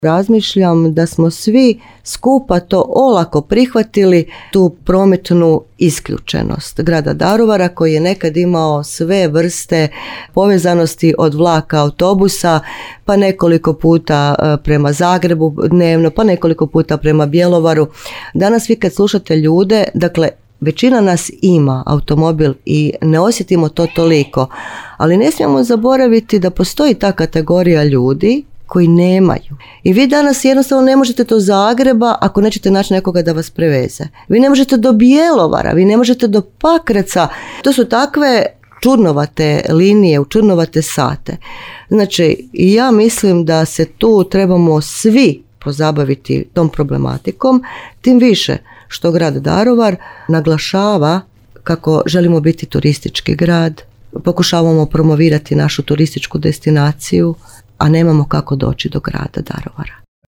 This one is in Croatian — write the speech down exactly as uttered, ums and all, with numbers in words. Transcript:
Razmišljam da smo svi skupa to olako prihvatili, tu prometnu isključenost grada Daruvara koji je nekad imao sve vrste povezanosti od vlaka, autobusa, pa nekoliko puta prema Zagrebu dnevno, pa nekoliko puta prema Bjelovaru. Danas vi kad slušate ljude, dakle većina nas ima automobil i ne osjetimo to toliko, ali ne smijemo zaboraviti da postoji ta kategorija ljudi koji nemaju. I vi danas jednostavno ne možete do Zagreba ako nećete naći nekoga da vas preveze. Vi ne možete do Bjelovara, vi ne možete do Pakraca. To su takve čudnovate linije, u čudnovate sate. Znači, ja mislim da se tu trebamo svi pozabaviti tom problematikom, tim više što grad Daruvar naglašava kako želimo biti turistički grad, pokušavamo promovirati našu turističku destinaciju, a nemamo kako doći do grada Daruvara.